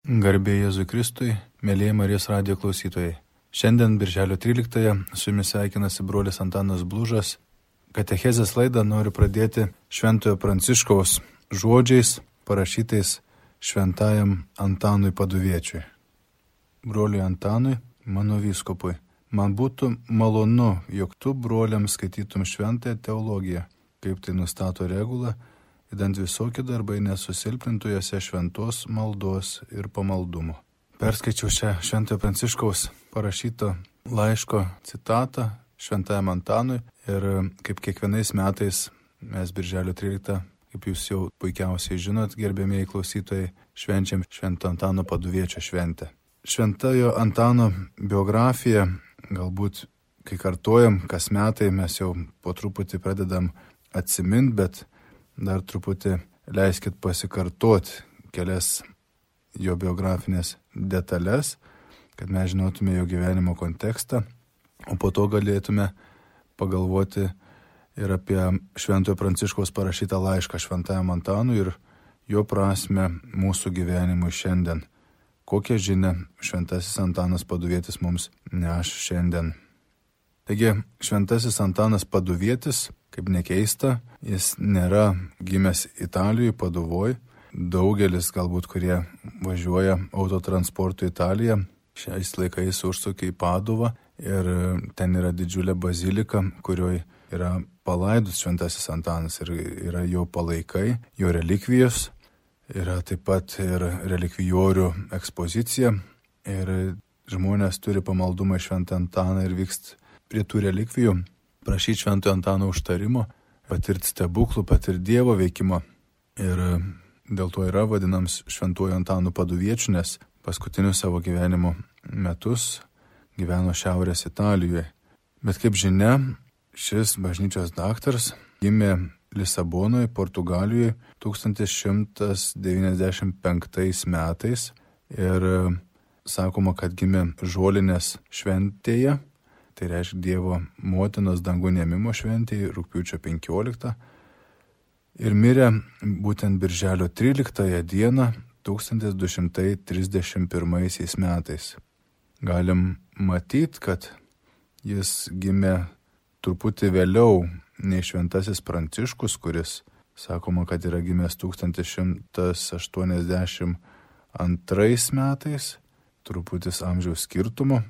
Garbė Jėzui Kristui, mėlyje Marijos radijo klausytojai. Šiandien, birželio 13-ąją, su jumis sveikinasi brolis Antanas Blužas. Katechezės laidą noriu pradėti Šventojo Pranciškaus žodžiais, parašytais Šventajam Antanui Paduviečiui. Broliui Antanui, mano vyskupui, man būtų malonu, jog tu broliams skaitytum šventąją teologiją, kaip tai nustato regula, idant visokie darbai nesusilpnintų jose šventos maldos ir pamaldumo. Perskaičiau šią Šventojo Pranciškaus parašyto laiško citatą Šventajam Antanui ir kaip kiekvienais metais mes birželio 13, kaip jūs jau puikiausiai žinot, gerbėmieji klausytojai, švenčiam Švento Antano Paduviečio šventę. Šventojo Antano biografija, galbūt kai kartojam, kas metai mes jau po truputį pradedam atsimint, bet dar truputį leiskit pasikartoti kelias jo biografinės detalės, kad mes žinotume jo gyvenimo kontekstą, o po to galėtume pagalvoti ir apie Šventojo Pranciškaus parašytą laišką Šventajam Antanui ir jo prasme mūsų gyvenimui šiandien. Kokią žinią Šventasis Antanas Paduvietis mums neš šiandien. Taigi, Šventasis Antanas Paduvietis, kaip nekeista, jis nėra gimęs Italijoje, Paduvoj. Daugelis galbūt, kurie važiuoja autotransportu į Italiją, šiais laikais užsukia į Paduvą ir ten yra didžiulė bazilika, kurioje yra palaidus Šventasis Antanas ir yra jo palaikai, jo relikvijos, yra taip pat ir relikvijorių ekspozicija ir žmonės turi pamaldumą į Šventą Antaną ir vykst prie tų relikvijų, prašyti Šventojo Antano užtarimo, patirti stebuklų, patirti Dievo veikimo. Ir dėl to yra vadinams Šventuoju Antanu Paduviečiu, nes paskutinius savo gyvenimo metus gyveno Šiaurės Italijoje. Bet kaip žinia, šis bažnyčios daktaras gimė Lisabonoje, Portugalijoje 1195 metais ir sakoma, kad gimė Žolinės šventėje. Tai reiškia Dievo motinos dangun ėmimo šventėje, rugpjūčio 15. Ir mirė būtent birželio 13 dieną 1231 metais. Galim matyti, kad jis gimė truputį vėliau nei Šventasis Pranciškus, kuris sakoma, kad yra gimęs 1182 metais, truputis amžiaus skirtumo,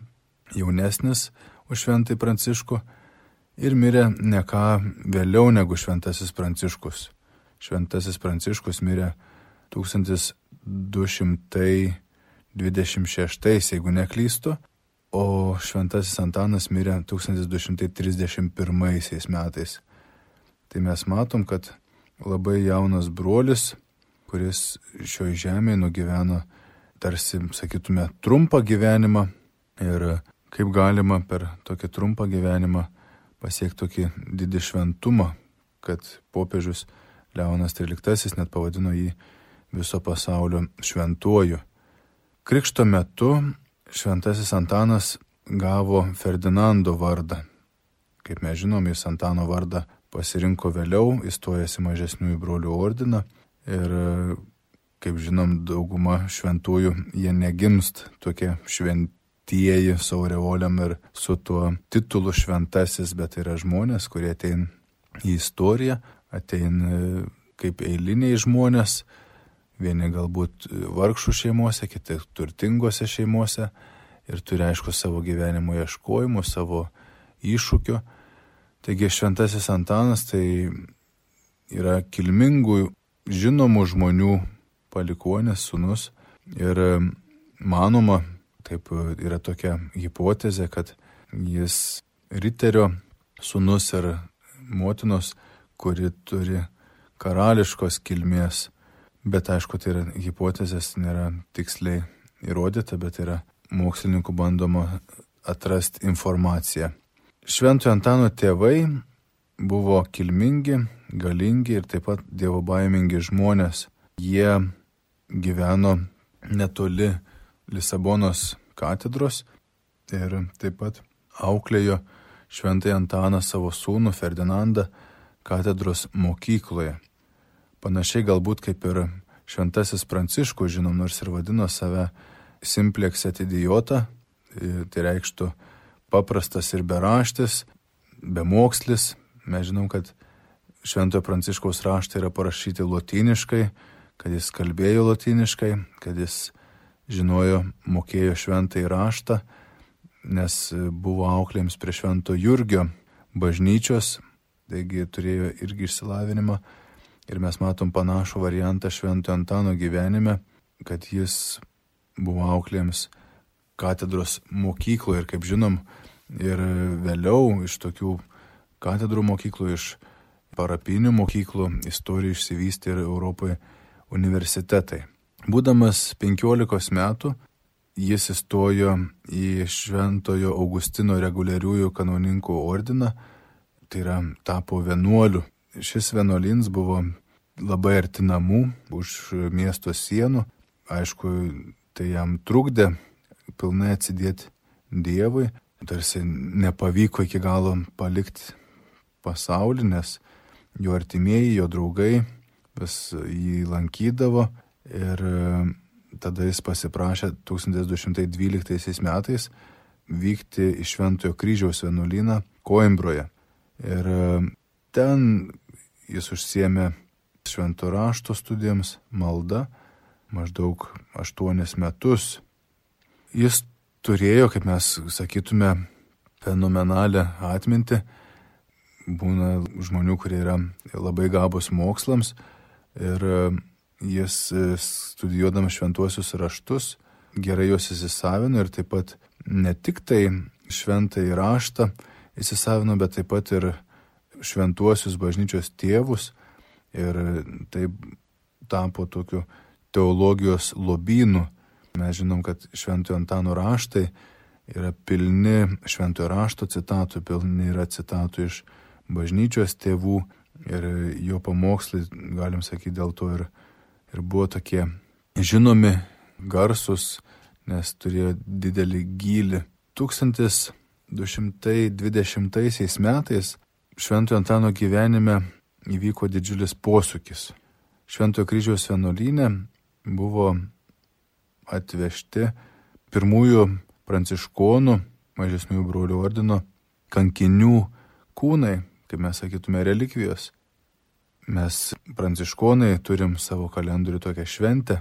jaunesnis už Šventąjį Pranciškų ir mirė ne ką vėliau negu Šventasis Pranciškus. Šventasis Pranciškus mirė 1226, jeigu neklystu, o Šventasis Antanas mirė 1231 metais. Tai mes matom, kad labai jaunas brolis, kuris šioje žemėje nugyveno tarsi, sakytume, trumpą gyvenimą ir kaip galima per tokį trumpą gyvenimą pasiekti tokį didį šventumą, kad popiežius Leonas XIII net pavadino jį viso pasaulio šventuoju. Krikšto metu Šventasis Antanas gavo Ferdinando vardą. Kaip mes žinom, jis Antano vardą pasirinko vėliau, įstojęs į mažesniųjų brolių ordiną ir, kaip žinom, dauguma šventųjų jie negimst tokie šventieji su aureolėm ir su tuo titulu šventasis, bet yra žmonės, kurie ateina į istoriją, ateina kaip eiliniai žmonės, vieni galbūt vargšų šeimose, kiti turtingose šeimose ir turi aišku savo gyvenimo ieškojimų, savo iššūkių. Taigi Šventasis Antanas tai yra kilmingų, žinomų žmonių palikuonis, sūnus ir manoma, taip yra tokia hipotezė, kad jis riterio sūnus ir motinos, kuri turi karališkos kilmės, bet aišku, tai yra hipotezės, nėra tiksliai įrodyta, bet yra mokslininkų bandoma atrasti informaciją. Šventojo Antano tėvai buvo kilmingi, galingi ir taip pat dievobaimingi žmonės. Jie gyveno netoli Lisabonos katedros ir taip pat auklėjo Šventąjį Antaną savo sūnų Ferdinandą katedros mokykloje. Panašiai galbūt kaip ir Šventasis Pranciškus, žinom, nors ir vadino save simplex et idiota, tai reikštų paprastas ir beraštis, bemokslis. Mes žinom, kad Šventojo Pranciškaus raštai yra parašyti lotyniškai, kad jis kalbėjo lotyniškai, kad jis žinojo, mokėjo šventąjį raštą, nes buvo auklėms prie Švento Jurgio bažnyčios, taigi turėjo irgi išsilavinimą. Ir mes matom panašų variantą Šventojo Antano gyvenime, kad jis buvo auklėms katedros mokykloje ir, kaip žinom, ir vėliau iš tokių katedrų mokyklų, iš parapinių mokyklų istorija išsivystė ir Europoje universitetai. Būdamas 15 metų, jis įstojo į Šventojo Augustino reguliariųjų kanoninkų ordiną, tai yra tapo vienuoliu. Šis vienuolys buvo labai arti namų, už miesto sienų. Aišku, tai jam trukdė pilnai atsidėti Dievui. Tarsi nepavyko iki galo palikti pasaulį, nes jo artimieji, jo draugai vis jį lankydavo. Ir tada jis pasiprašė 1212 metais vykti į Šventojo Kryžiaus vienuolyną Koimbroje. Ir ten jis užsiėmė švento rašto studijoms, malda, maždaug 8 metus. Jis turėjo, kaip mes sakytume, fenomenalią atmintį. Būna žmonių, kurie yra labai gabūs mokslams ir jis studijuodamas šventuosius raštus gerai juos įsisavino ir taip pat ne tik tai šventąjį raštą įsisavino, bet taip pat ir šventuosius bažnyčios tėvus ir taip tapo tokiu teologijos lobynu. Mes žinom, kad Šventojo Antano raštai yra pilni šventojo rašto citatų, pilni yra citatų iš bažnyčios tėvų ir jo pamokslai, galim sakyti, dėl to ir buvo tokie žinomi, garsus, nes turėjo didelį gylį. 1220 metais Šventojo Antano gyvenime įvyko didžiulis posūkis. Šventojo Kryžiaus vienuolyne buvo atvežti pirmųjų pranciškonų, mažesniųjų brolių ordino kankinių kūnai, kaip mes sakytume, relikvijos. Mes pranciškonai turim savo kalendorių tokią šventę,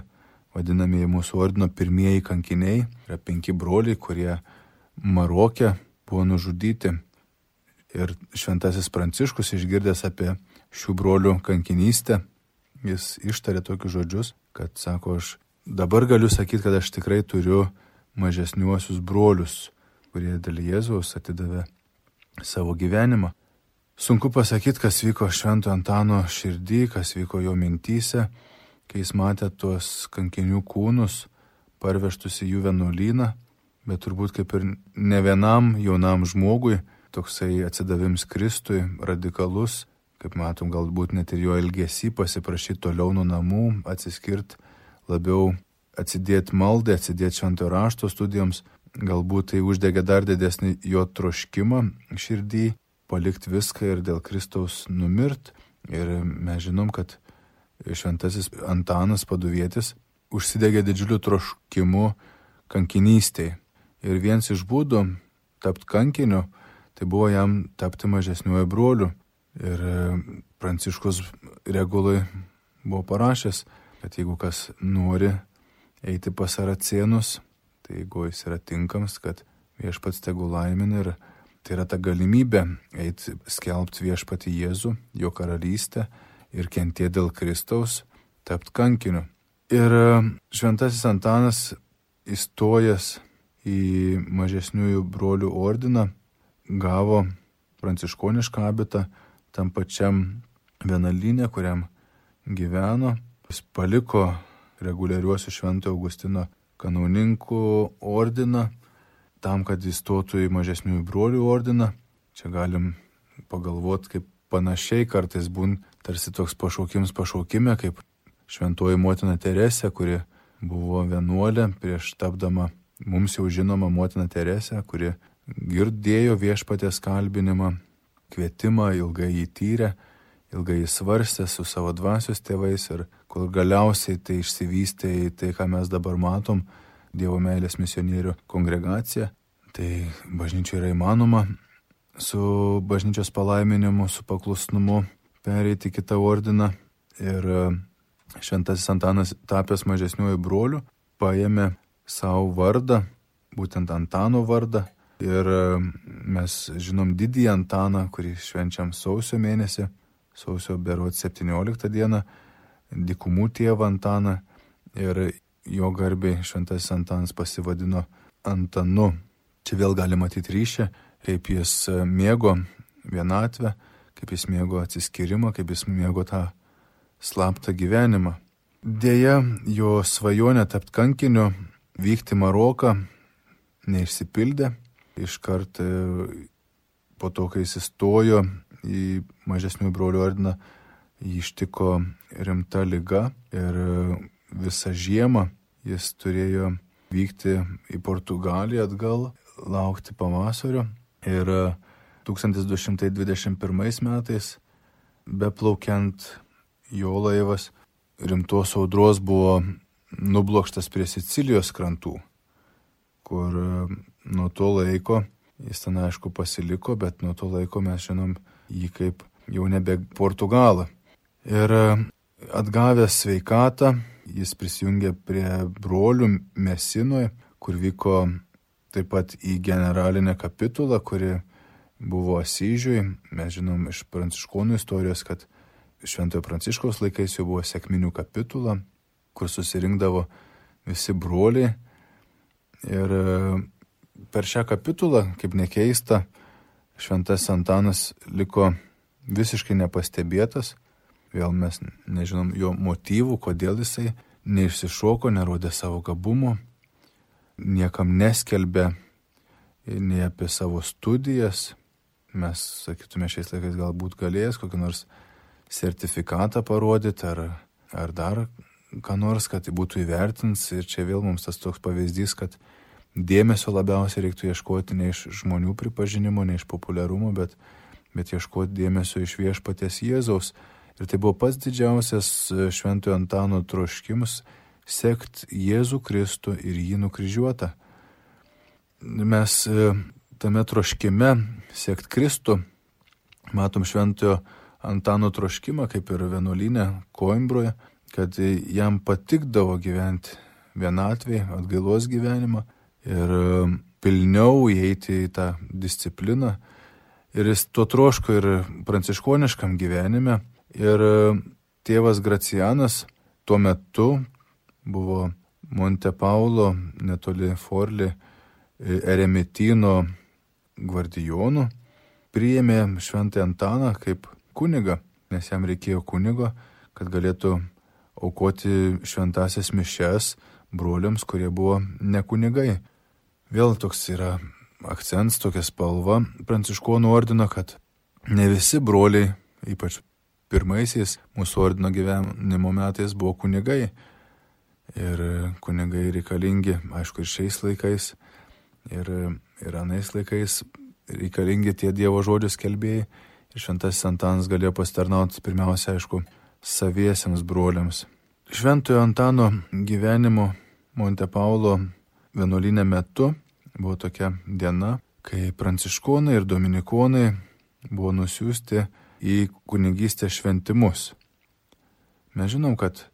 vadinamieji mūsų ordino pirmieji kankiniai, yra 5 broliai, kurie Maroke buvo nužudyti. Ir šventasis Pranciškus, išgirdęs apie šių brolių kankinystę, jis ištarė tokius žodžius, kad sako, aš dabar galiu sakyti, kad aš tikrai turiu mažesniuosius brolius, kurie dėl Jėzaus atidavė savo gyvenimą. Sunku pasakyti, kas vyko Šventojo Antano širdį, kas vyko jo mintyse, kai jis matė tuos kankinių kūnus parvežtus į jų vienuolyną, bet turbūt kaip ir ne vienam jaunam žmogui toksai atsidavims Kristui radikalus, kaip matom, galbūt net ir jo elgesį pasiprašyti toliau nuo namų, atsiskirti labiau, atsidėti maldai, atsidėti šventojo rašto studijoms, galbūt tai uždegė dar didesnį jo troškimą širdį, palikti viską ir dėl Kristaus numirt. Ir mes žinom, kad šventasis Antanas Paduvietis užsidegė didžiuliu troškimu kankinystėje. Ir vienas iš būdų tapti kankiniu, tai buvo jam tapti mažesniuoju broliu. Ir Pranciškus regulai buvo parašęs, kad jeigu kas nori eiti pas saracėnus, tai jeigu jis yra tinkams, kad viešpats tegu laimina, ir tai yra ta galimybė eiti skelbti viešpatį Jėzų, jo karalystę ir kentėti dėl Kristaus, tapti kankiniu. Ir šventasis Antanas įstojęs į mažesniųjų brolių ordiną gavo pranciškonišką abitą tam pačiam vienuolyne, kuriam gyveno. Jis paliko reguliariuosius Šventojo Augustino kanauninkų ordiną tam, kad įstotų į mažesniųjų brolių ordiną. Čia galim pagalvoti, kaip panašiai kartais būn tarsi toks pašaukime, kaip šventoji motina Teresė, kuri buvo vienuolė prieš tapdama mums jau žinoma motina Teresė, kuri girdėjo viešpaties kalbinimą, kvietimą, ilgai jį tyrė, ilgai jį svarstė su savo dvasios tėvais ir kol galiausiai tai išsivystė į tai, ką mes dabar matom, Dievo meilės misionierių kongregacija. Tai bažnyčia yra įmanoma su bažnyčios palaiminimu, su paklusnumu pereiti kitą ordiną. Ir šventasis Antanas, tapęs mažesniuoju broliu, paėmė savo vardą, būtent Antano vardą. Ir mes žinom didįjį Antaną, kurį švenčiam sausio mėnesį, sausio berods 17 dieną, dykumų tėvą Antaną. Ir jo garbei šventasis Antanas pasivadino Antanu. Čia vėl gali matyti ryšį, kaip jis mėgo vienatvę, kaip jis mėgo atsiskyrimą, kaip jis mėgo tą slaptą gyvenimą. Deja, jo svajonė tapti kankiniu, vykti Maroką neišsipildė. Iškart po to, kai jis įstojo į mažesniųjų brolių ordiną, jį ištiko rimta liga ir visą žiemą jis turėjo vykti į Portugaliją atgal, laukti pavasario. Ir 1221 metais, beplaukiant, jo laivas rimtos audros buvo nublokštas prie Sicilijos krantų, kur nuo to laiko, jis ten aišku pasiliko, bet nuo to laiko mes žinom jį kaip jau nebe Portugalą. Ir atgavęs sveikatą, jis prisijungė prie brolių Mesinoje, kur vyko taip pat į generalinę kapitulą, kuri buvo Asyžiui. Mes žinom iš pranciškonų istorijos, kad Šventojo Pranciškaus laikais jau buvo sekminių kapitula, kur susirinkdavo visi broliai. Ir per šią kapitulą, kaip nekeista, šventasis Antanas liko visiškai nepastebėtas. Vėl mes nežinom jo motyvų, kodėl jisai neišsišoko, nerodė savo gabumo, niekam neskelbė nei apie savo studijas. Mes, sakytume, šiais laikais galbūt galėjęs kokį nors sertifikatą parodyti ar dar ką nors, kad tai būtų įvertins. Ir čia vėl mums tas toks pavyzdys, kad dėmesio labiausiai reiktų ieškoti ne iš žmonių pripažinimo, ne iš populiarumo, bet ieškoti dėmesio iš viešpaties Jėzaus. Ir tai buvo pats didžiausias Šventojo Antano troškimas – sekti Jėzų Kristų ir jį nukryžiuotą. Mes tame troškime sekti Kristų matom Šventojo Antano troškimą, kaip ir vienuolyne Koimbroje, kad jam patikdavo gyventi vienatvėje, atgailos gyvenimą ir pilniau įeiti į tą discipliną. Ir jis to troško ir pranciškoniškam gyvenime. Ir tėvas Gracianas tuo metu buvo Monte Paulo, netoli Forli, eremitino gvardijonų, priėmė Šventąjį Antaną kaip kunigą, nes jam reikėjo kunigo, kad galėtų aukoti šventąsias mišias broliams, kurie buvo ne kunigai. Vėl toks yra akcentas, tokia spalva pranciškonų ordino, kad ne visi broliai, ypač pirmaisiais mūsų ordino gyvenimo metais, buvo kunigai. Ir kunigai reikalingi, aišku, ir šiais laikais, ir anais laikais reikalingi tie Dievo žodžių skelbėjai. Ir šventasis Antanas galėjo pasitarnauti pirmiausia, aišku, saviesiems broliams. Šventojo Antano gyvenimo Monte Paulo vienuolyne metu buvo tokia diena, kai pranciškonai ir dominikonai buvo nusiųsti į kunigystės šventimus. Mes žinom, kad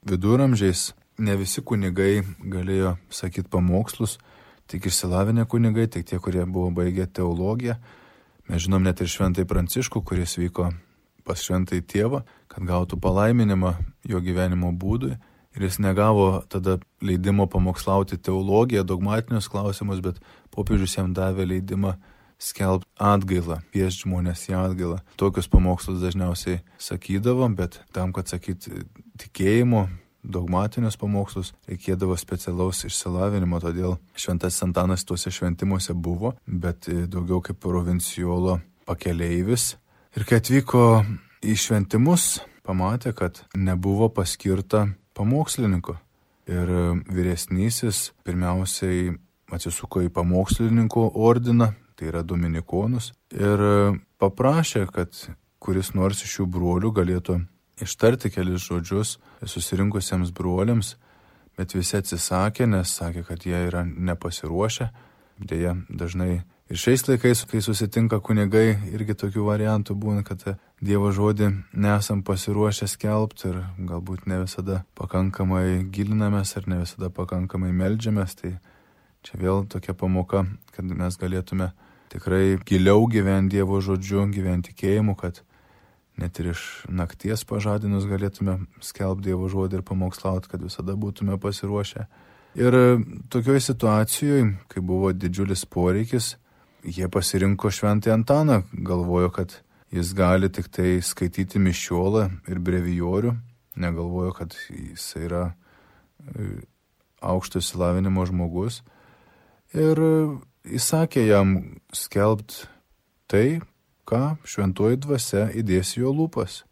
viduramžiais ne visi kunigai galėjo sakyti pamokslus, tik išsilavinę kunigai, tik tie, kurie buvo baigę teologiją. Mes žinom net ir Šventąjį Pranciškų, kuris vyko pas Šventąjį Tėvą, kad gautų palaiminimą jo gyvenimo būdui. Ir jis negavo tada leidimo pamokslauti teologiją, dogmatinius klausimus, bet popiežius jam davė leidimą skelbti atgailą, kviesti žmonės į atgailą. Tokius pamokslus dažniausiai sakydavo, bet tam, kad sakyti tikėjimo, dogmatinius pamokslus, reikėdavo specialaus išsilavinimo, todėl šventasis Antanas tuose šventimuose buvo, bet daugiau kaip provincijolo pakeleivis. Ir kai atvyko į šventimus, pamatė, kad nebuvo paskirta pamokslininko. Ir vyresnysis pirmiausiai atsisuko į pamokslininkų ordiną, tai yra dominikonus, ir paprašė, kad kuris nors iš šių brolių galėtų ištarti kelis žodžius susirinkusiems broliams, bet visi atsisakė, nes sakė, kad jie yra nepasiruošę. Deja, dažnai ir šiais laikais, kai susitinka kunigai, irgi tokių variantų būna, kad Dievo žodį nesam pasiruošę skelbti ir galbūt ne visada pakankamai gilinamės ar ne visada pakankamai meldžiamės. Tai čia vėl tokia pamoka, kad mes galėtume tikrai giliau gyventi Dievo žodžiu, gyventi tikėjimu, kad net ir iš nakties pažadinus galėtume skelbti Dievo žodį ir pamokslauti, kad visada būtume pasiruošę. Ir tokioje situacijoje, kai buvo didžiulis poreikis, jie pasirinko Šventąjį Antaną, galvojo, kad jis gali tik tai skaityti mišiolą ir brevijorių, negalvojo, kad jis yra aukšto išsilavinimo žmogus. Ir įsakė jam skelbti tai, ką šventoji dvasia įdės jo lūpas.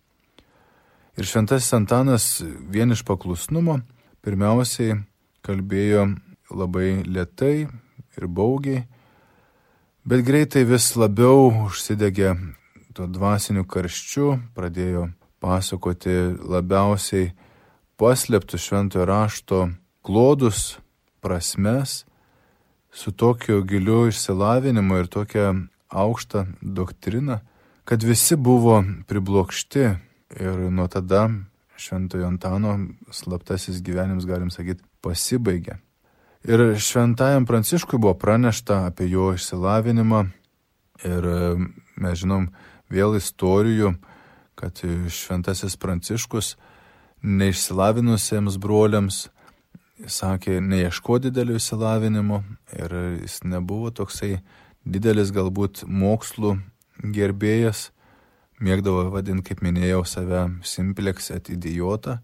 Ir Šventasis Antanas vien iš paklusnumo pirmiausiai kalbėjo labai lėtai ir baugiai, bet greitai vis labiau užsidegė tuo dvasiniu karščiu, pradėjo pasakoti labiausiai paslėptus šventojo rašto klodus, prasmes, su tokiu giliu išsilavinimu ir tokia aukštą doktriną, kad visi buvo priblokšti ir nuo tada Šventojo Antano slaptasis gyvenimas, galim sakyti, pasibaigė. Ir Šventajam Pranciškui buvo pranešta apie jo išsilavinimą ir mes žinom vėl istorijų, kad Šventasis Pranciškus neišsilavinusiems broliams sakė neieško didelio išsilavinimo ir jis nebuvo toksai didelis galbūt mokslų gerbėjas, mėgdavo vadinti, kaip minėjau, save simplex et idiotą.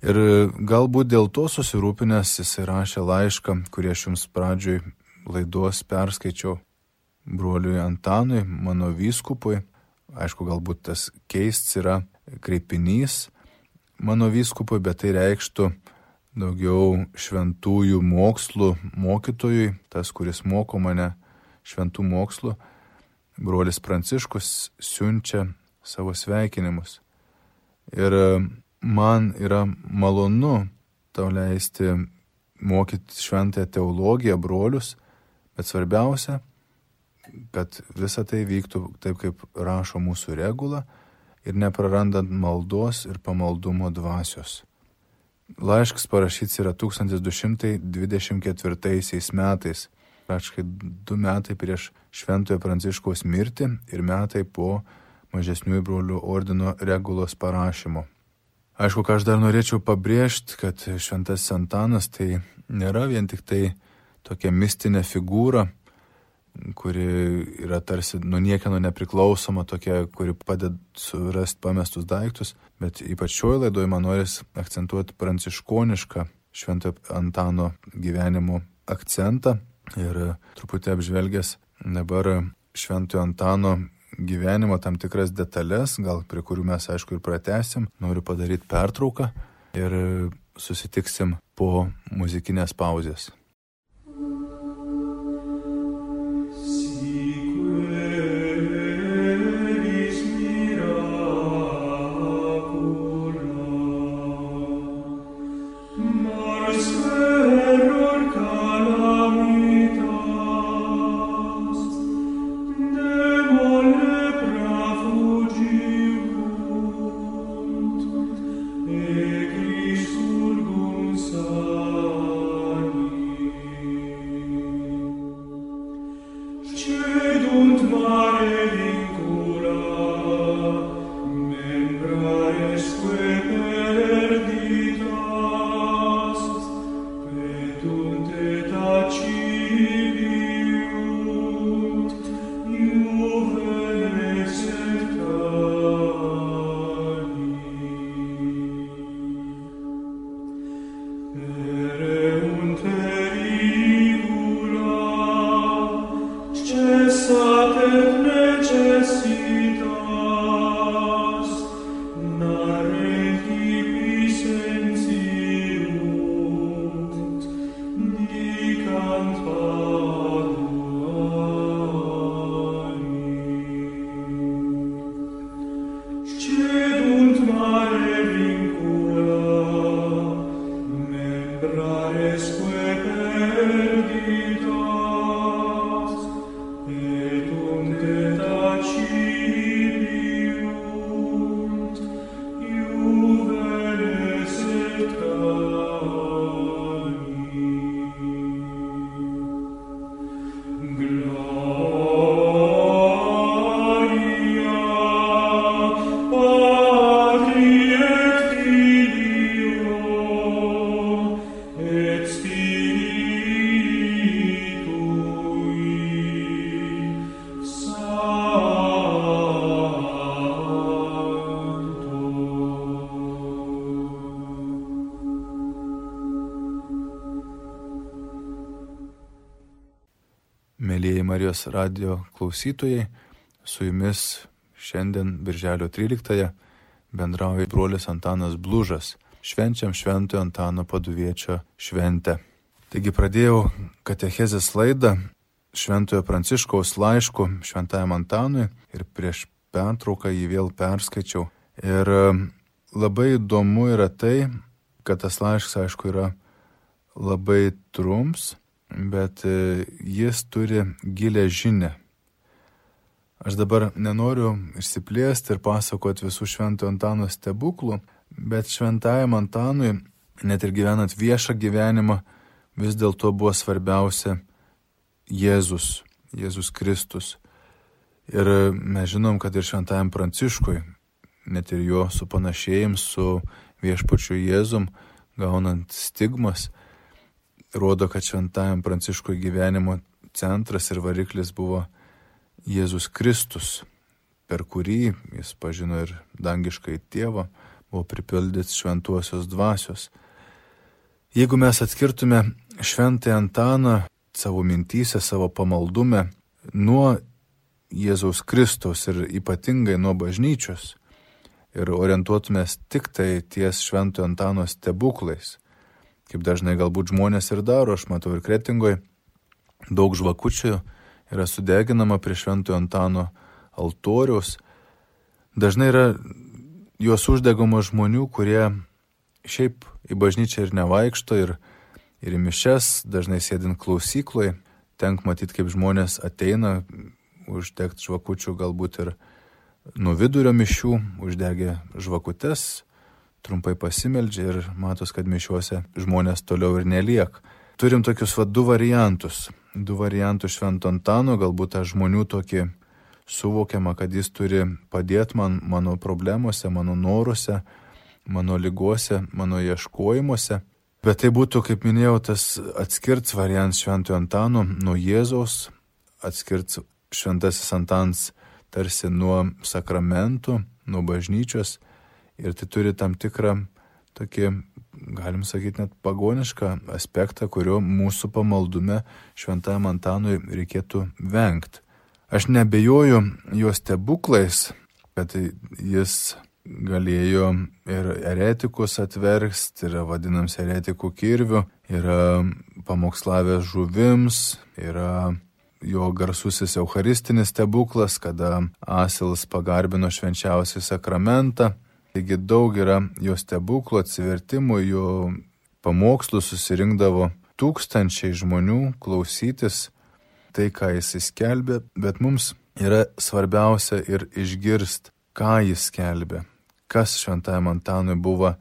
Ir galbūt dėl to susirūpinęs jis rašė laišką, kurį aš jums pradžioj laidos perskaičiau broliui Antanui, mano vyskupui. Aišku, galbūt tas keists yra kreipinys mano vyskupui, bet tai reikštų daugiau šventųjų mokslų mokytojui, tas, kuris moko mane šventų mokslų. Brolis Pranciškus siunčia savo sveikinimus. Ir man yra malonu tau leisti mokyti šventąją teologiją brolius, bet svarbiausia, kad visa tai vyktų taip, kaip rašo mūsų regula ir neprarandant maldos ir pamaldumo dvasios. Laiškas parašyts yra 1224 metais, praktiškai 2 metai prieš Šventojo Pranciškaus mirtį ir metai po mažesniųjų brolių ordino regulos parašymo. Aišku, ką aš dar norėčiau pabrėžti, kad Šventasis Antanas tai nėra vien tik tai tokia mistinė figūra, kuri yra tarsi nuo niekieno nepriklausoma, tokia, kuri padeda surasti pamestus daiktus, bet ypač šioje laidoje man norisi akcentuoti pranciškonišką Šventojo Antano gyvenimo akcentą ir truputį apžvelgęs dabar Šventojo Antano gyvenimo tam tikras detalės, gal prie kurių mes aišku ir pratęsim, noriu padaryti pertrauką ir susitiksim po muzikinės pauzės. Mėlyjeji Marijos radijo klausytojai, su jumis šiandien birželio 13-ąją bendrauja brolis Antanas Blužas. Švenčiam Šventojo Antano Paduviečio šventę. Taigi pradėjau katechezės laidą Šventojo Pranciškaus laišku Šventajam Antanui ir prieš pertrauką jį vėl perskaičiau. Ir labai įdomu yra tai, kad tas laiškas, aišku, yra labai trumps, bet jis turi gilę žinią. Aš dabar nenoriu išsiplėsti ir pasakoti visų Šventojo Antano stebuklų, bet Šventajam Antanui, net ir gyvenant viešą gyvenimą, vis dėlto buvo svarbiausia Jėzus Kristus. Ir mes žinom, kad ir Šventajam Pranciškui, net ir jo supanašėjims su viešpačiu Jėzum, gaunant stigmas, rodo, kad Šventajam Pranciškui gyvenimo centras ir variklis buvo Jėzus Kristus, per kurį jis pažino ir dangiškai tėvą, buvo pripildytas šventuosios dvasios. Jeigu mes atskirtume Šventąjį Antaną savo mintyse, savo pamaldume nuo Jėzaus Kristaus ir ypatingai nuo bažnyčios ir orientuotumės tik tai ties Šventojo Antano stebuklais, kaip dažnai galbūt žmonės ir daro, aš matau ir Kretingoje, daug žvakučių yra sudeginama prie Šventojo Antano altoriaus. Dažnai yra juos uždegama žmonių, kurie šiaip į bažnyčią ir nevaikšto, ir į mišias, dažnai sėdint klausykloje, tenka matyti, kaip žmonės ateina uždegti žvakučių, galbūt ir nuo vidurio mišių, uždegė žvakutes, trumpai pasimeldžia ir matos, kad mišiuose žmonės toliau ir neliek. Turim tokius du variantus Švento Antano, galbūt tą žmonių tokį suvokiama, kad jis turi padėti man mano problemuose, mano noruose, mano lygose, mano ieškojimuose. Bet tai būtų, kaip minėjau, tas atskirts variantas Šventojo Antano nuo Jėzaus, atskirts Šventasis Antanas tarsi nuo sakramentų, nuo bažnyčios. Ir tai turi tam tikrą tokį, galim sakyti, net pagonišką aspektą, kurio mūsų pamaldume Šventajam Antanui reikėtų vengti. Aš neabejoju jo stebuklais, kad jis galėjo ir eretikus atversti, yra vadinams eretikų kirviu, yra pamokslavęs žuvims, yra jo garsusis eucharistinis stebuklas, kada asilas pagarbino švenčiausią sakramentą. Taigi daug yra jo stebuklų, atsivertimų, jo pamokslų susirinkdavo tūkstančiai žmonių klausytis tai, ką jis skelbė, bet mums yra svarbiausia ir išgirsti, ką jis skelbė, kas Šventajam Antanui buvo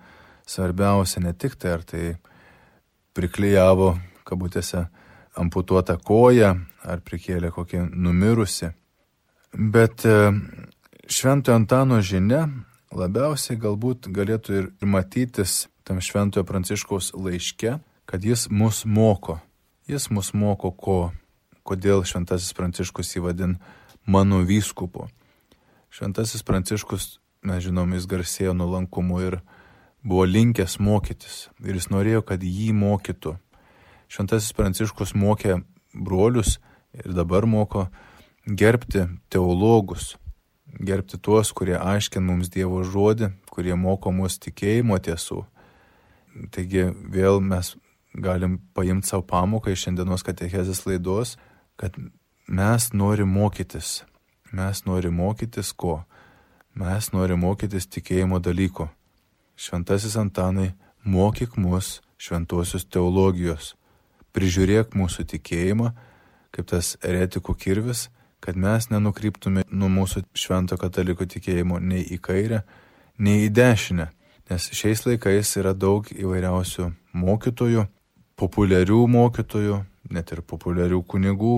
svarbiausia, ne tik tai, ar tai priklijavo, kabutėse, amputuotą koją, ar prikėlė kokį numirusi. Bet Šventojo Antano žinia labiausiai galbūt galėtų ir matytis tam Šventojo Pranciškaus laiške, kad jis mus moko. Jis mus moko ko? Kodėl Šventasis Pranciškus jį vadin mano vyskupu? Šventasis Pranciškus, mes žinom, jis garsėjo nuolankumu ir buvo linkęs mokytis. Ir jis norėjo, kad jį mokytų. Šventasis Pranciškus mokė brolius ir dabar moko gerbti teologus. Gerbti tuos, kurie aiškina mums Dievo žodį, kurie moko mus tikėjimo tiesų. Taigi vėl mes galim paimti savo pamoką iš šiandienos katechezės laidos, kad mes norim mokytis. Mes norim mokytis ko? Mes norim mokytis tikėjimo dalyko. Šventasis Antanai, mokyk mus šventosios teologijos. Prižiūrėk mūsų tikėjimą, kaip tas eretikų kirvis, kad mes nenukryptume nuo mūsų švento katalikų tikėjimo nei į kairę, nei į dešinę. Nes šiais laikais yra daug įvairiausių mokytojų, populiarių mokytojų, net ir populiarių kunigų,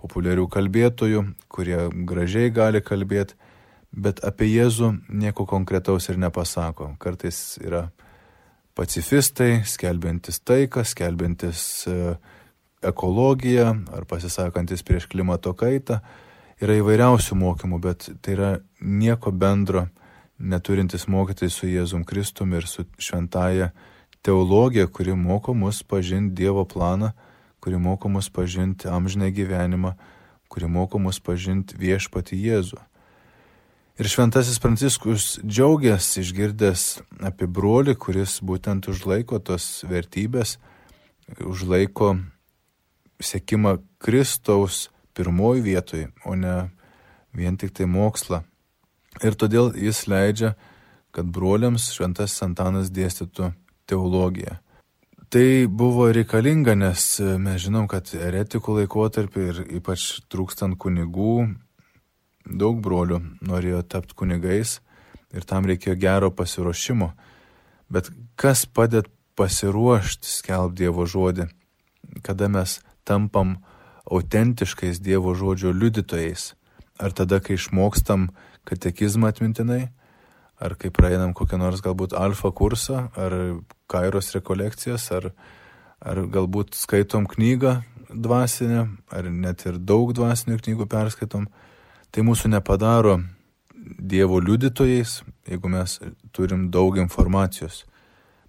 populiarių kalbėtojų, kurie gražiai gali kalbėti, bet apie Jėzų nieko konkretaus ir nepasako. Kartais yra pacifistai, skelbiantis taiką, skelbiantis ekologiją ar pasisakantis prieš klimato kaitą. Yra įvairiausių mokymų, bet tai yra nieko bendro neturintis mokytis su Jėzum Kristumi ir su šventąja teologija, kuri moko mus pažinti Dievo planą, kuri moko mus pažinti amžinai gyvenimą, kuri moko mus pažinti viešpatį Jėzų. Ir šventasis Pranciškus džiaugiasi išgirdęs apie brolį, kuris būtent užlaiko tos vertybės, užlaiko sekimą Kristaus pirmoji vietoje, o ne vien tik tai mokslą. Ir todėl jis leidžia, kad broliams šventasis Antanas dėstytų teologiją. Tai buvo reikalinga, nes mes žinom, kad eretikų laikotarpį ir ypač trūkstant kunigų, daug brolių norėjo tapti kunigais ir tam reikėjo gero pasiruošimo. Bet kas padeda pasiruošti skelbti Dievo žodį, kada mes tampam autentiškais Dievo žodžio liudytojais? Ar tada, kai išmokstam katekizmą atmintinai, ar kai praeinam kokią nors galbūt alfa kursą, ar kairos rekolekcijas, ar galbūt skaitom knygą dvasinę, ar net ir daug dvasinių knygų perskaitom, tai mūsų nepadaro Dievo liudytojais, jeigu mes turim daug informacijos.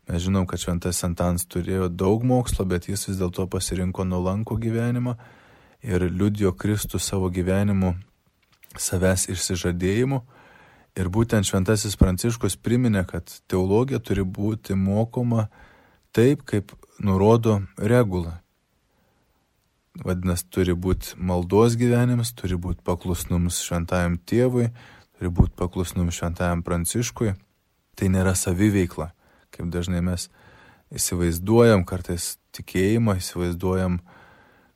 Mes žinom, kad šventasis Antanas turėjo daug mokslo, bet jis vis dėlto pasirinko nuolankų gyvenimą ir liudijo Kristų savo gyvenimu, savęs išsižadėjimu. Ir būtent šventasis Pranciškus priminė, kad teologija turi būti mokoma taip, kaip nurodo regula. Vadinasi, turi būti maldos gyvenimas, turi būti paklusnums šventajam tėvui, turi būti paklusnums šventajam Pranciškui. Tai nėra saviveikla, kaip dažnai mes įsivaizduojam, kartais tikėjimą įsivaizduojam,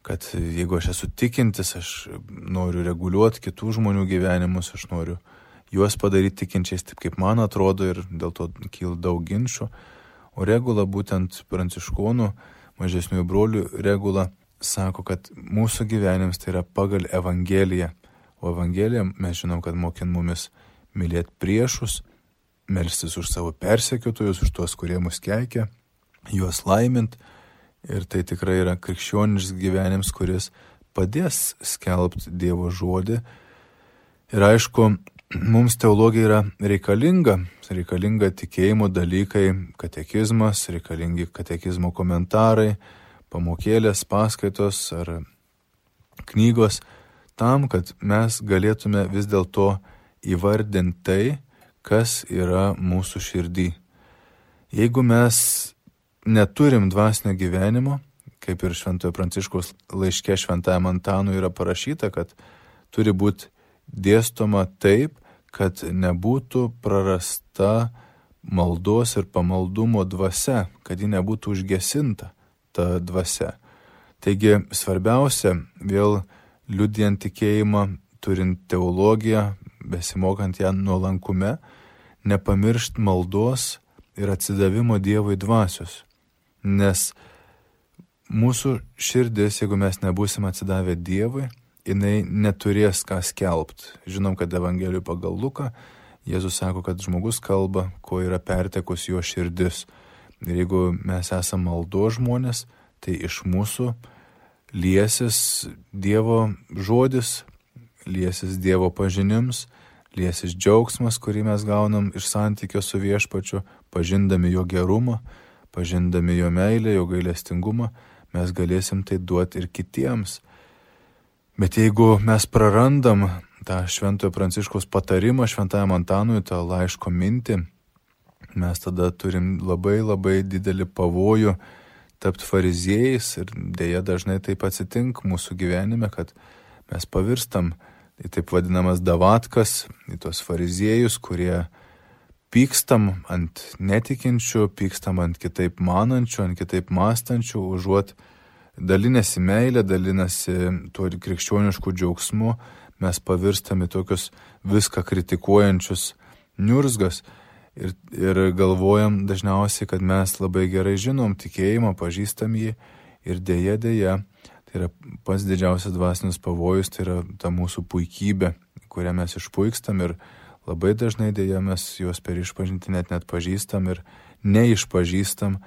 kad jeigu aš esu tikintis, aš noriu reguliuoti kitų žmonių gyvenimus, aš noriu juos padaryti tikinčiais taip, kaip man atrodo, ir dėl to kyla daug ginčių. O regula, būtent pranciškonų, mažesniųjų brolių regula, sako, kad mūsų gyvenimas tai yra pagal Evangeliją. O Evangelija, mes žinom, kad mokina mumis mylėti priešus, melstis už savo persekiotojus, už tuos, kurie mus keikia, juos laimint. Ir tai tikrai yra krikščioniškas gyvenimas, kuris padės skelbti Dievo žodį. Ir aišku, mums teologija yra reikalinga tikėjimo dalykai, katekizmas, reikalingi katekizmo komentarai, pamokėlės, paskaitos ar knygos, tam, kad mes galėtume vis dėlto įvardinti tai, kas yra mūsų širdį. Jeigu mes neturim dvasinio gyvenimo, kaip ir Šventojo Pranciškaus laiške Šventajam Antanui yra parašyta, kad turi būti dėstoma taip, kad nebūtų prarasta maldos ir pamaldumo dvasia, kad ji nebūtų užgesinta ta dvasia. Taigi svarbiausia, vėl liudijant tikėjimą, turint teologiją, besimokant ją nuolankume, nepamiršt maldos ir atsidavimo Dievui dvasios. Nes mūsų širdis, jeigu mes nebūsim atsidavę Dievui, jinai neturės ką skelbti. Žinom, kad Evangelijų pagal Luką Jėzus sako, kad žmogus kalba, ko yra pertekus jo širdis. Ir jeigu mes esame maldos žmonės, tai iš mūsų liesis Dievo žodis, liesis Dievo pažinims, liesis džiaugsmas, kurį mes gaunam iš santykio su viešpačiu, pažindami jo gerumą, pažindami jo meilę, jo gailestingumą, mes galėsim tai duoti ir kitiems. Bet jeigu mes prarandam tą Šventojo Pranciškaus patarimą Šventajam Antanui, tą laiško mintį, mes tada turim labai didelį pavojų tapti fariziejais ir dėja dažnai taip atsitinka mūsų gyvenime, kad mes pavirstam į taip vadinamas davatkas, į tos fariziejus, kurie pykstam ant netikinčių, pykstam ant kitaip manančių, ant kitaip mąstančių, užuot dalinasi meilė, dalinasi tuo krikščionišku džiaugsmu, mes pavirstame tokius viską kritikuojančius niurzgas ir galvojam dažniausiai, kad mes labai gerai žinom tikėjimą, pažįstam jį ir dėja, tai yra pats didžiausias dvasinis pavojus, tai yra ta mūsų puikybė, kurią mes išpuikstam ir labai dažnai dėja mes juos per išpažintį net pažįstam ir neišpažįstam,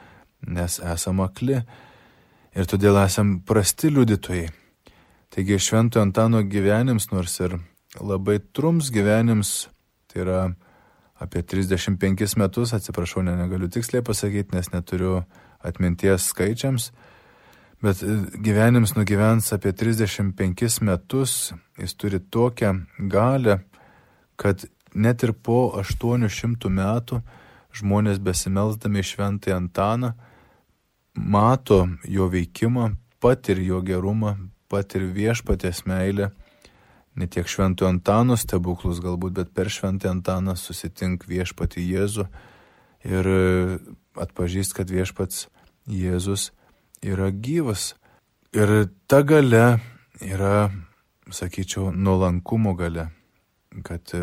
nes esam akli. Ir todėl esam prasti liudytojai. Taigi Šventojo Antano gyvenims, nors ir labai trumps gyvenims, tai yra apie 35 metus, atsiprašau, negaliu tiksliai pasakyti, nes neturiu atminties skaičiams, Bet gyvenims nugyvens apie 35 metus, jis turi tokią galę, kad net ir po 800 metų žmonės besimelsdami šventąjį Antaną mato jo veikimą, patir jo gerumą, patir viešpaties meilę. Ne tiek šventojo Antano stebuklus galbūt, bet per šventąjį Antaną susitink viešpatį Jėzų ir atpažįst, kad viešpats Jėzus yra gyvas. Ir ta galia yra, sakyčiau, nuolankumo galia. Kad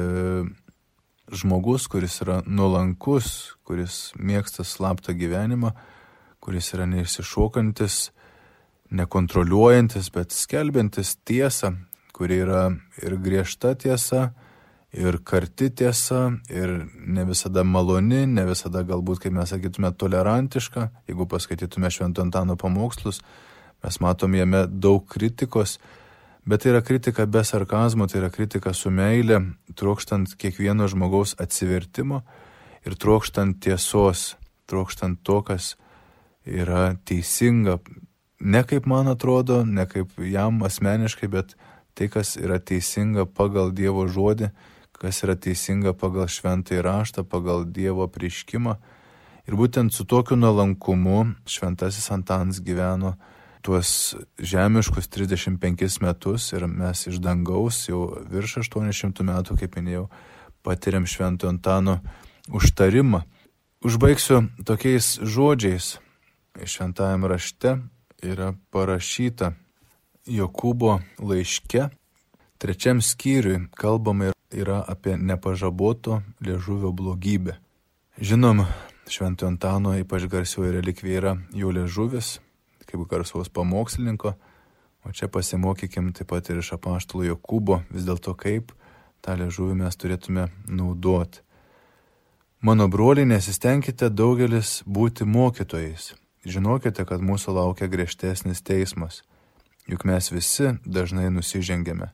žmogus, kuris yra nuolankus, kuris mėgsta slaptą gyvenimą, kuris yra neišsišokantis, nekontroliuojantis, bet skelbiantis tiesą, kuri yra ir griežta tiesa, ir karti tiesa, ir ne visada maloni, ne visada galbūt, kaip mes sakytume, tolerantiška. Jeigu paskaitytume Švento Antano pamokslus, mes matom jame daug kritikos, bet tai yra kritika be sarkazmo, tai yra kritika su meile, trokštant kiekvieno žmogaus atsivertimo ir trokštant tiesos, trokštant to, kas yra teisinga. Ne kaip man atrodo, ne kaip jam asmeniškai, bet tai, kas yra teisinga pagal Dievo žodį, kas yra teisinga pagal šventąjį raštą, pagal Dievo apreiškimą. Ir būtent su tokiu nuolankumu šventasis Antanas gyveno tuos žemiškus 35 metus ir mes iš dangaus jau virš 800 metų, kaip minėjau, patiriam Šventojo Antano užtarimą. Užbaigsiu tokiais žodžiais. Šventajame rašte yra parašyta Jokūbo laiške, 3 skyriui kalbama yra apie nepažaboto liežuvio blogybę. Žinom, Šventojo Antano ypač garsioji relikvija yra jo liežuvis, kaip garsaus pamokslininko, o čia pasimokykim taip pat ir iš apaštalo Jokūbo, vis dėlto kaip tą liežuvį mes turėtume naudoti. Mano broliai, nesistengkite daugelis būti mokytojais. Žinokite, kad mūsų laukia griežtesnis teismas, juk mes visi dažnai nusižengiame.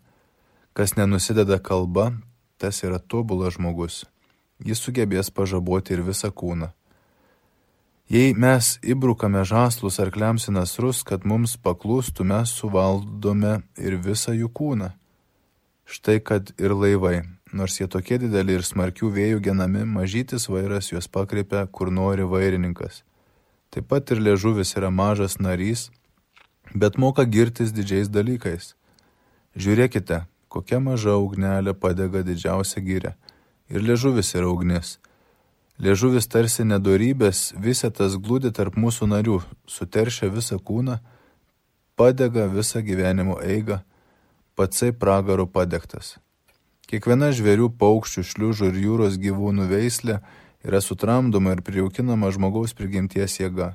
Kas nenusideda kalba, tas yra tobulas žmogus. Jis sugebės pažaboti ir visą kūną. Jei mes įbrukame žąslus arkliams į nasrus, kad mums paklūstų, mes suvaldome ir visą jų kūną. Štai kad ir laivai, nors jie tokie dideli ir smarkių vėjų genami, mažytis vairas juos pakreipia, kur nori vairininkas. Taip pat ir liežuvis yra mažas narys, bet moka girtis didžiais dalykais. Žiūrėkite, kokia maža ugnelė padega didžiausią gyrę. Ir liežuvis yra ugnis. Liežuvis tarsi nedorybės, visetas glūdi tarp mūsų narių, suteršia visą kūną, padega visą gyvenimo eigą, patsai pragaro padegtas. Kiekviena žvėrių, paukščių, šliužų ir jūros gyvūnų veislė yra sutramdoma ir prijaukinama žmogaus prigimties jėga,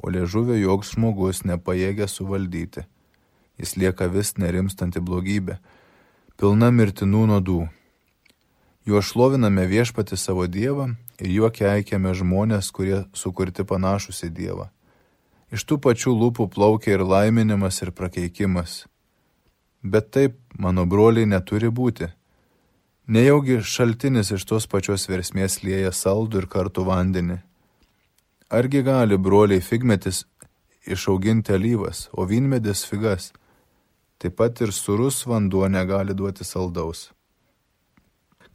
o liežuvio joks žmogus nepajėgia suvaldyti. Jis lieka vis nerimstanti blogybė, pilna mirtinų nuodų. Juo šloviname viešpatį savo Dievą ir juo keikiame žmonės, kurie sukurti panašus į Dievą. Iš tų pačių lūpų plaukia ir laiminimas ir prakeikimas. Bet taip, mano broliai, neturi būti. Nejaugi šaltinis iš tos pačios versmės lieja saldų ir kartų vandenį. Argi gali, broliai, figmetis išauginti alyvas, o vynmedis figas? Taip pat ir sūrus vanduo negali duoti saldaus.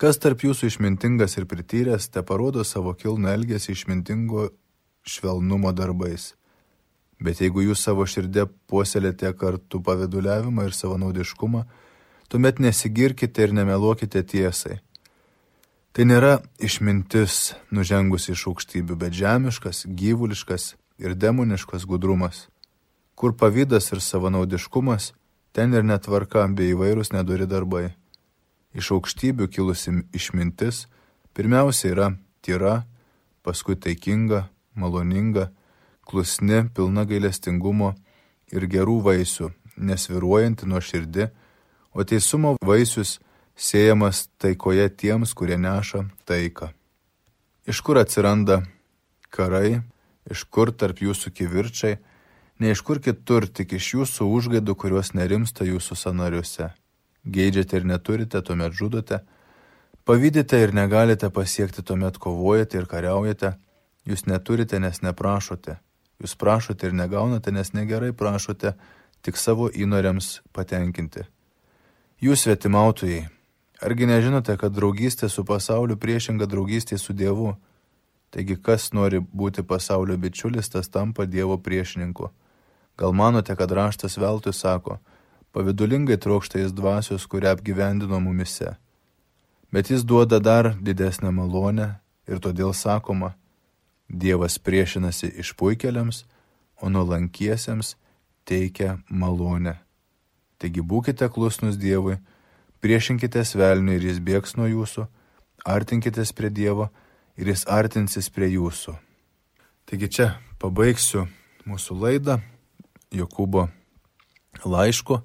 Kas tarp jūsų išmintingas ir prityręs, te parodo savo kilnų elgesį išmintingo švelnumo darbais. Bet jeigu jūs savo širdė puoselėte kartu paviduliavimą ir savanaudiškumą, tuomet nesigirkite ir nemeluokite tiesai. Tai nėra išmintis nužengusi iš aukštybių, bet žemiškas, gyvuliškas ir demoniškas gudrumas. Kur pavydas ir savanaudiškumas, ten ir netvarka bei įvairūs nedori darbai. Iš aukštybių kilusi išmintis pirmiausia yra tyra, paskui taikinga, maloninga, klusni, pilna gailestingumo ir gerų vaisių, nesvyruojanti nuoširdi, o teisumo vaisius sėjamas taikoje tiems, kurie neša taiką. Iš kur atsiranda karai, iš kur tarp jūsų kivirčiai, ne iš kur kitur, tik iš jūsų užgaidų, kurios nerimsta jūsų sąnariuose. Geidžiate ir neturite, tuomet žudote, pavydite ir negalite pasiekti, tuomet kovojate ir kariaujate, jūs neturite, nes neprašote, Jūs prašote ir negaunate, nes negerai prašote tik savo įnoriams patenkinti. Jūs svetimautojai, argi nežinote, kad draugystė su pasauliu priešinga draugystė su Dievu? Taigi kas nori būti pasaulio bičiulis, tas tampa Dievo priešininku. Gal manote, kad raštas veltui sako, pavidulingai trokšta jis dvasios, kurią apgyvendino mumise. Bet jis duoda dar didesnę malonę ir todėl sakoma, Dievas priešinasi išpuikėliams, o nuolankiesiems teikia malonę. Taigi būkite klusnus Dievui, priešinkitės velniui ir jis bėgs nuo jūsų, artinkitės prie Dievo ir jis artinsis prie jūsų. Taigi čia pabaigsiu mūsų laidą Jokūbo laišku.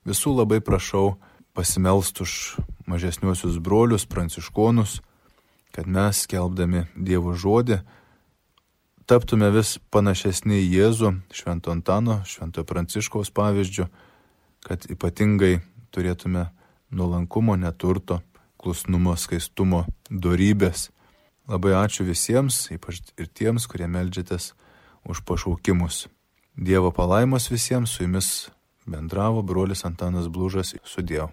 Visų labai prašau pasimelst už mažesniuosius brolius, pranciškonus, kad mes, skelbdami Dievo žodį, taptume vis panašesni į Jėzų, Švento Antano, Švento Pranciškaus pavyzdžių, kad ypatingai turėtume nuolankumo, neturto, klusnumo, skaistumo, dorybės. Labai ačiū visiems, ypač ir tiems, kurie meldžiatės už pašaukimus. Dievo palaimos visiems, su jumis bendravo brolis Antanas Blužas. Sudiev.